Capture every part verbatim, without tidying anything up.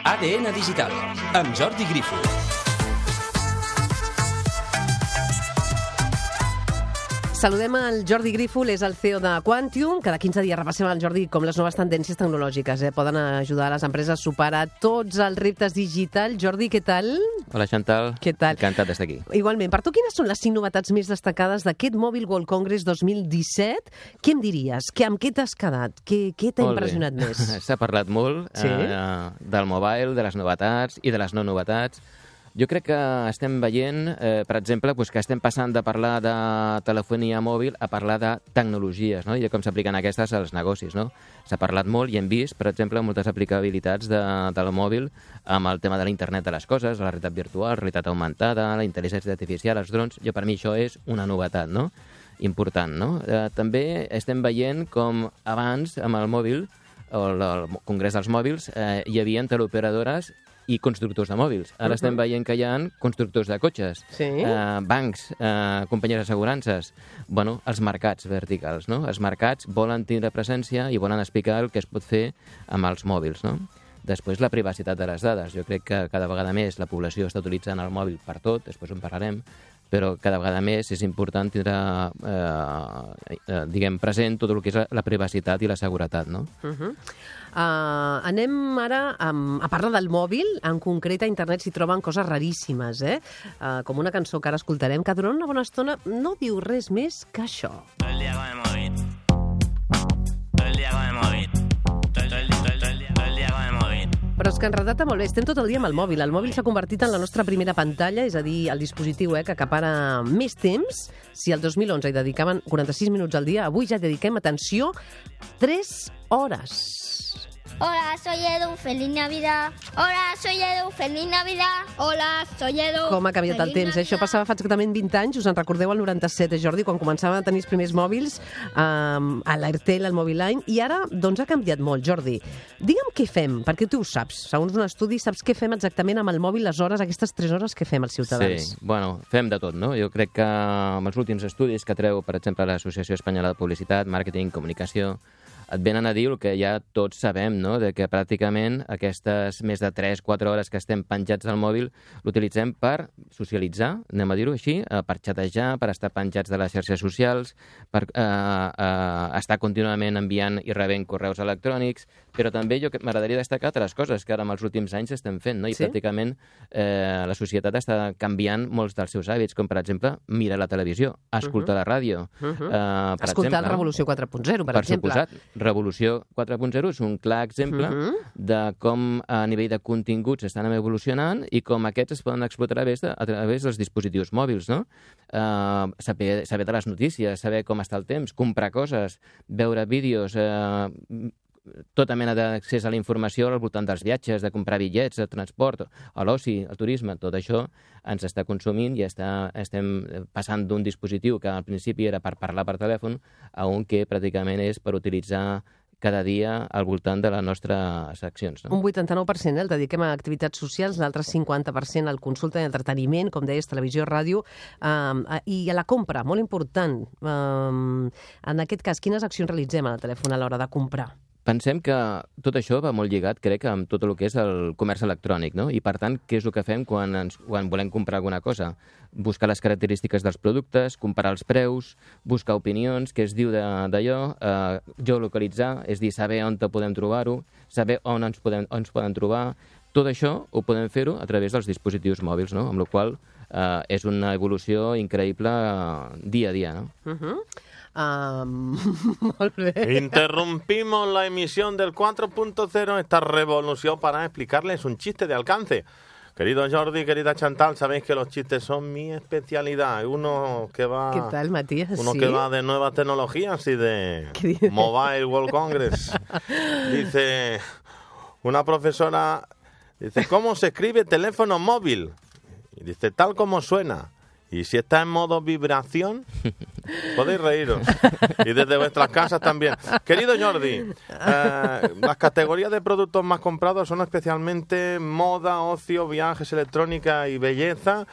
A D N Digital, amb Jordi Grifo. Saludem el Jordi Grífol, és el C E O de Quantium. Cada quinze dies repassem al Jordi com les noves tendències tecnològiques eh? poden ajudar a les empreses a superar tots els reptes digitals. Jordi, què tal? Hola, Chantal. Què tal? Encantat d'estar aquí. Igualment. Per tu, quines són les cinc novetats més destacades d'aquest Mobile World Congress dos mil disset? Què em diries? Que, amb què t'has quedat? Què, què t'ha impressionat més? S'ha parlat molt sí? eh, del mobile, de les novetats i de les no novetats. Jo crec que estem veient, eh, per exemple, pues, que estem passant de parlar de telefonia mòbil a parlar de tecnologies, no? I de com s'apliquen aquestes als negocis, no? S'ha parlat molt i hem vist, per exemple, moltes aplicabilitats de, del mòbil amb el tema de l'internet de les coses, la realitat virtual, la realitat augmentada, la intel·ligència artificial, els drons. Jo, per mi, això és una novetat, no? Important, no? Eh, també estem veient com abans, amb el mòbil, o el, el Congrés dels Mòbils, eh, hi havia teleoperadores i constructors de mòbils. Ara uh -huh. estem veient que hi ha constructors de cotxes, sí? eh, bancs, eh, companyies d'assegurances, bueno, els mercats verticals, no? Els mercats volen tindre presència i volen explicar el que es pot fer amb els mòbils, no? Després, la privacitat de les dades. Jo crec que cada vegada més la població està utilitzant el mòbil per tot, després en parlarem, però cada vegada més és important tindre, eh, eh, diguem, present tot el que és la privacitat i la seguretat, no? Uh -huh. Uh, anem ara um, a parlar del mòbil. En concret, a internet s'hi troben coses raríssimes, eh? Uh, com una cançó que ara escoltarem, que durant una bona estona no diu res més que això. Todo el día con el móvil. Todo el día con el móvil. Todo el, todo el, todo el, todo el día, todo el día con el móvil. Però és que en realitat molt bé, estem tot el dia amb el mòbil. El mòbil s'ha convertit en la nostra primera pantalla, és a dir, el dispositiu eh, que acapara més temps. Si el dos mil onze hi dedicaven quaranta-sis minuts al dia, avui ja dediquem, atenció, tres hores. Hola, soy Edu, feliz Navidad. Hola, soy Edu, feliz Navidad. Hola, soy Edu. Com ha canviat el temps, eh? Això passava fa exactament vint anys, us en recordeu el noranta-set, eh, Jordi, quan començaven a tenir els primers mòbils, um, a l'Airtel, al Moviline, i ara, doncs, ha canviat molt, Jordi. Digue'm què fem, perquè tu ho saps, segons un estudi, saps què fem exactament amb el mòbil, les hores, aquestes tres hores que fem els ciutadans. Sí, bueno, fem de tot, no? Jo crec que amb els últims estudis que treu, per exemple, l'Associació Espanyola de Publicitat, Màrqueting, Comunicació, et venen a dir el que ja tots sabem, no? De que pràcticament aquestes més de tres quatre hores que estem penjats al mòbil l'utilitzem per socialitzar, anem a dir-ho així, per xatejar, per estar penjats de les xarxes socials, per eh, eh, estar contínuament enviant i rebent correus electrònics, però també jo m'agradaria destacar altres coses que ara en els últims anys estem fent, no? I sí? pràcticament eh, la societat està canviant molts dels seus hàbits, com per exemple mirar la televisió, escoltar uh -huh. la ràdio. Uh -huh. eh, per escoltar exemple, el Revolució quatre punt zero, per, per exemple. Suposat, Revolució quatre punt zero és un clar exemple uh-huh. de com a nivell de continguts estan evolucionant i com aquests es poden explotar a través, de, a través dels dispositius mòbils, no? Uh, saber, saber de les notícies, saber com està el temps, comprar coses, veure vídeos, uh, tota mena d'accés a la informació al voltant dels viatges, de comprar bitllets, de transport, a l'oci, al turisme, tot això ens està consumint i està, estem passant d'un dispositiu que al principi era per parlar per telèfon a un que pràcticament és per utilitzar cada dia al voltant de les nostres accions. No? Un vuitanta-nou per cent eh, el dediquem a activitats socials, l'altre cinquanta per cent al consulta i entreteniment, com deies, televisió, ràdio, eh, i a la compra, molt important. Eh, en aquest cas, quines accions realitzem al telèfon a l'hora de comprar? Pensem que tot això va molt lligat, crec, amb tot el que és el comerç electrònic, no? I, per tant, què és el que fem quan, ens, quan volem comprar alguna cosa? Buscar les característiques dels productes, comparar els preus, buscar opinions, què es diu d'allò, eh, geolocalitzar, és dir, saber on podem trobar-ho, saber on ens, podem, on ens poden trobar. Tot això ho podem fer-ho a través dels dispositius mòbils, no? Amb la qual cosa eh, és una evolució increïble eh, dia a dia, no? Uh-huh. Um, molt bé. Interrumpimos la emisión del cuatro punto cero, esta revolución, para explicarles un chiste de alcance. Querido Jordi, querida Chantal, sabéis que los chistes son mi especialidad. Uno que va, ¿Qué tal, Matías? Uno ¿Sí? que va de nuevas tecnologías y de Mobile World Congress. Dice una profesora, dice, ¿cómo se escribe teléfono móvil? Y dice, tal como suena. Y si está en modo vibración, podéis reíros. Y desde vuestras casas también. Querido Jordi, eh, las categorías de productos más comprados son especialmente moda, ocio, viajes, electrónica y belleza.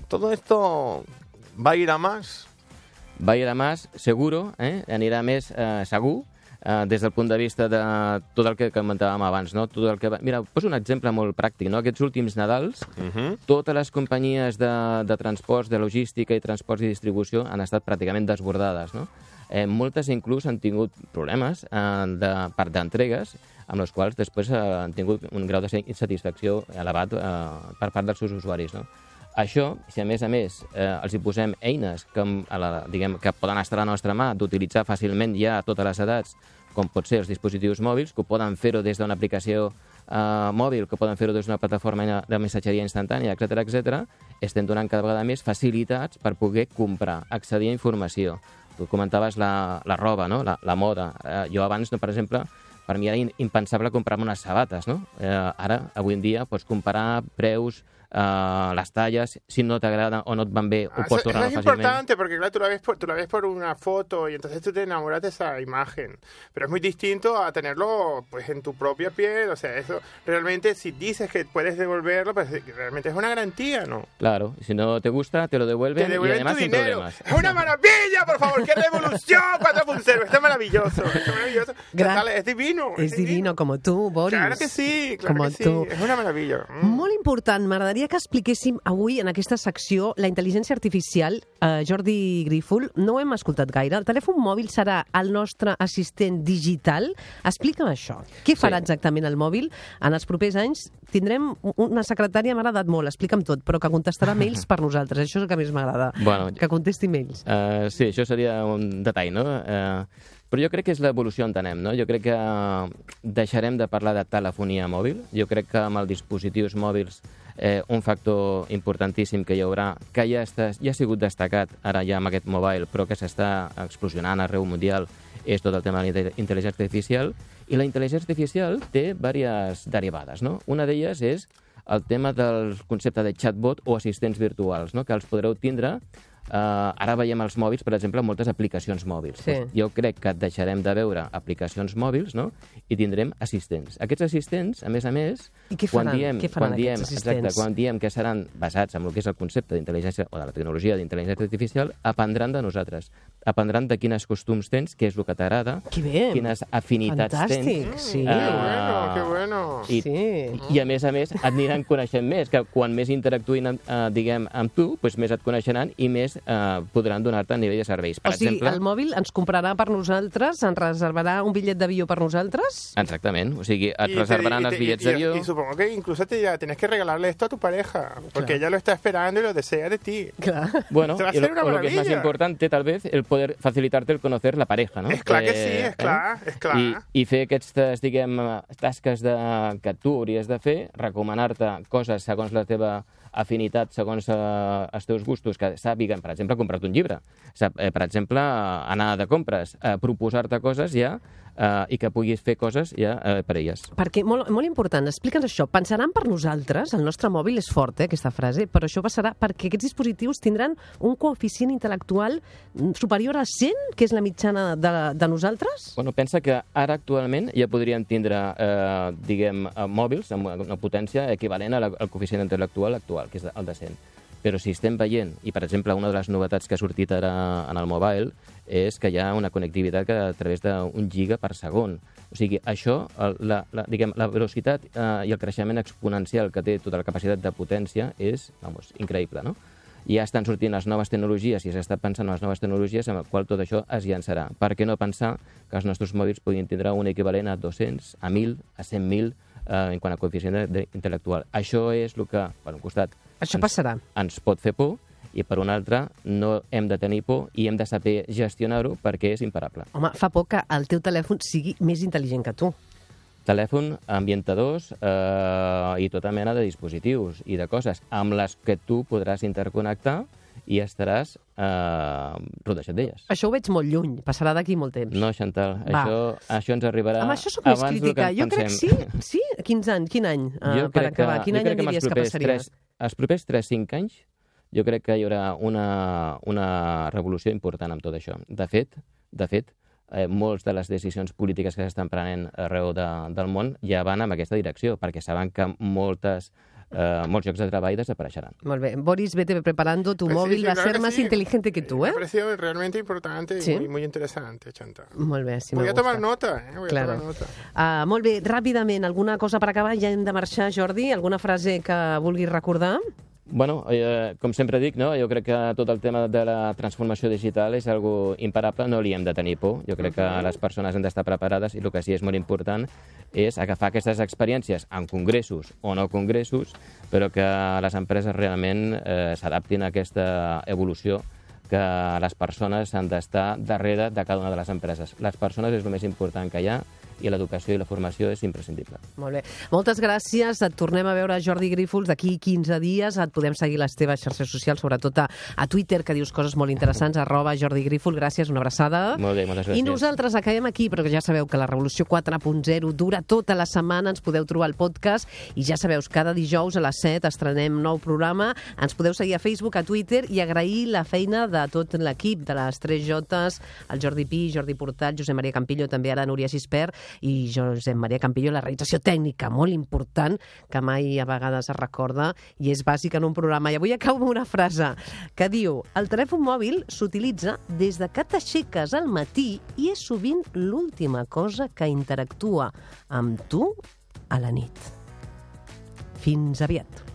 ¿Todo esto va a ir a más? Va a ir a más, seguro, eh? Anirà a més eh, segur, eh, des del punt de vista de tot el que comentàvem abans, no? Tot el que va... Mira, poso un exemple molt pràctic, no? Aquests últims Nadals, uh -huh. totes les companyies de, de transports, de logística i transports i distribució han estat pràcticament desbordades, no? Eh, moltes inclús han tingut problemes eh, de part d'entregues, amb els quals després eh, han tingut un grau de insatisfacció elevat eh, per part dels seus usuaris, no? Això, si a més a més eh, els hi posem eines que, a la, diguem, que poden estar a la nostra mà d'utilitzar fàcilment ja a totes les edats, com pot ser els dispositius mòbils, que ho poden fer-ho des d'una aplicació eh, mòbil, que poden fer-ho des d'una plataforma de missatgeria instantània, etcètera, etcètera, estem donant cada vegada més facilitats per poder comprar, accedir a informació. Tu comentaves la, la roba, no? la, la moda. Eh, jo abans, no, per exemple, per mi era impensable comprar-me unes sabates, no? Eh, ara, avui en dia, pots comparar preus, Uh, las tallas, si no te agrada o no te van bien, o ah, puedes tornar fácilmente. Eso es importante porque, claro, tú la, ves por, tú la ves por una foto y entonces tú te enamoras de esa imagen. Pero es muy distinto a tenerlo pues en tu propia piel. O sea, eso realmente, si dices que puedes devolverlo, pues realmente es una garantía, ¿no? Claro, si no te gusta, te lo devuelven, te devuelven y además tu sin dinero. problemas. ¡Es una maravilla, por favor! ¡Qué revolución! cuatro punto cero. Esto es maravilloso. Esto es maravilloso. Gran... Total, es divino. Es, es divino, divino, como tú, Boris. Claro que sí, claro como que sí. Tu. És una meravella. Mm. Molt important. M'agradaria que expliquéssim avui en aquesta secció la intel·ligència artificial. Uh, Jordi Grífol, no ho hem escoltat gaire. El telèfon mòbil serà el nostre assistent digital. Explica'm això. Què farà sí. exactament el mòbil? En els propers anys tindrem una secretària, m'ha agradat molt, explica'm tot, però que contestarà mails per nosaltres. Això és el que més m'agrada, bueno, que contesti mails. Uh, sí, això seria un detall, no? Uh, però jo crec que és l'evolució on anem, no? Jo crec que deixarem de parlar de telefonia mòbil. Jo crec que amb els dispositius mòbils eh, un factor importantíssim que hi haurà, que ja, està, ja ha sigut destacat ara ja amb aquest mobile, però que s'està explosionant arreu mundial, és tot el tema de la intel·ligència artificial. I la intel·ligència artificial té diverses derivades, no? Una d'elles és el tema del concepte de chatbot o assistents virtuals, no? Que els podreu tindre. Uh, ara veiem als mòbils, per exemple, moltes aplicacions mòbils. Sí. Pues jo crec que deixarem de veure aplicacions mòbils, no? I tindrem assistents. Aquests assistents, a més a més, I què quan faran? diem, Què faran quan diem, aquests assistents? exacte, quan diem que seran basats en el que és el concepte d'intel·ligència o de la tecnologia d'intel·ligència artificial, aprendran de nosaltres. Aprendran de quins costums tens, què és el que t'agrada, quines afinitats Fantàstic, tens. sí. Uh, Qué bueno, qué bueno. I, sí. I, a més a més, et aniran coneixent més, que quan més interactuïn, uh, diguem, amb tu, doncs més et coneixeran i més uh, podran donar-te a nivell de serveis. Per o sigui, exemple, el mòbil ens comprarà per nosaltres, ens reservarà un bitllet d'avió per nosaltres? Exactament, o sigui, et Y reservaran te- y els te- bitllets y- y- d'avió. Y supongo que incluso te ya tenés que regalarle esto a tu pareja, porque Claro. ella lo está esperando y lo desea de ti. Clar. Bueno, Te va a y lo, ser una o lo que es más maravilla. importante, tal vez, el poder facilitarte el conocer la pareja, no? És clar que sí, és clar, és clar. I, I fer aquestes, diguem, tasques de, que tu hauries de fer, recomanar-te coses segons la teva afinitat, segons eh, els teus gustos, que sàpiguen, per exemple, comprar-te un llibre. Sap, eh, per exemple, anar de compres, eh, proposar-te coses ja eh, i que puguis fer coses ja eh, per elles. Perquè, molt, molt important, explica'ns això. Pensaran per nosaltres, el nostre mòbil és fort, eh, aquesta frase, però això passarà perquè aquests dispositius tindran un coeficient intel·lectual superior a cent, que és la mitjana de, de nosaltres? Bueno, pensa que ara actualment ja podrien tindre, eh, diguem, eh, mòbils amb una potència equivalent a la, al coeficient intel·lectual actual, que és el de cent. Però si estem veient, i per exemple una de les novetats que ha sortit ara en el mobile, és que hi ha una connectivitat que a través d'un giga per segon. O sigui, això, el, la, la, diguem, la velocitat eh, i el creixement exponencial que té tota la capacitat de potència és, vamos, increïble, no? Ja estan sortint les noves tecnologies i s'està pensant en les noves tecnologies amb el qual tot això es llançarà. Per què no pensar que els nostres mòbils podrien tindre un equivalent a dos-cents, a mil, a cent mil eh, en quant a coeficient intel·lectual? Això és el que, per un costat, Això ens, passarà. ens pot fer por, i per un altre no hem de tenir por i hem de saber gestionar-ho perquè és imparable. Home, fa por que el teu telèfon sigui més intel·ligent que tu. Telèfon, ambientadors eh, i tota mena de dispositius i de coses amb les que tu podràs interconnectar i estaràs eh, rodejat d'elles. Això ho veig molt lluny, passarà d'aquí molt temps. No, Chantal, Va. això, això ens arribarà Amb això sóc més abans del crítica. que Jo crec que sí, pensem. sí? Quins anys? Quin any? Uh, Jo per crec acabar, que, quin jo any crec em que diries els que propers passaria? tres, els propers tres cinc anys jo crec que hi haurà una, una revolució important amb tot això. De fet, de fet, eh, molts de les decisions polítiques que s'estan prenent arreu de, del món ja van en aquesta direcció, perquè saben que moltes eh, molts llocs de treball desapareixeran. Molt bé. Boris, vete preparando. Tu Pues sí, móvil sí, va a claro ser que más sí. inteligente que tú, Me ¿eh? ha parecido realmente importante Sí. y muy, muy interesante, Chantal. Molt bé, sí, Voy me a gusta. tomar nota, eh? Voy Claro. a tomar nota. Uh, molt bé, ràpidament, alguna cosa per acabar? Ja hem de marxar, Jordi? Alguna frase que vulguis recordar? Bueno, eh, com sempre dic, no? Jo crec que tot el tema de la transformació digital és algo imparable, no li hem de tenir por. Jo crec que les persones han d'estar preparades i el que sí és molt important és agafar aquestes experiències en congressos o no congressos, però que les empreses realment eh, s'adaptin a aquesta evolució, que les persones han d'estar darrere de cada una de les empreses. Les persones és el més important que hi ha i l'educació i la formació és imprescindible. Molt bé. Moltes gràcies. Et tornem a veure, Jordi Grífols, d'aquí quinze dies. Et podem seguir les teves xarxes socials, sobretot a, a Twitter, que dius coses molt interessants, arroba Jordi Grífols. Gràcies, una abraçada. Molt bé, moltes gràcies. I nosaltres acabem aquí, però ja sabeu que la Revolució quatre punt zero dura tota la setmana. Ens podeu trobar al podcast i ja sabeu, cada dijous a les set estrenem nou programa. Ens podeu seguir a Facebook, a Twitter i agrair la feina de tot l'equip, de les tres Jotes, el Jordi Pi, Jordi Portal, Josep Maria Campillo, també ara Núria Gispert i Josep Maria Campillo, la realització tècnica molt important que mai a vegades es recorda i és bàsic en un programa. I avui acabo amb una frase que diu: el telèfon mòbil s'utilitza des de que t'aixeques al matí i és sovint l'última cosa que interactua amb tu a la nit. Fins aviat.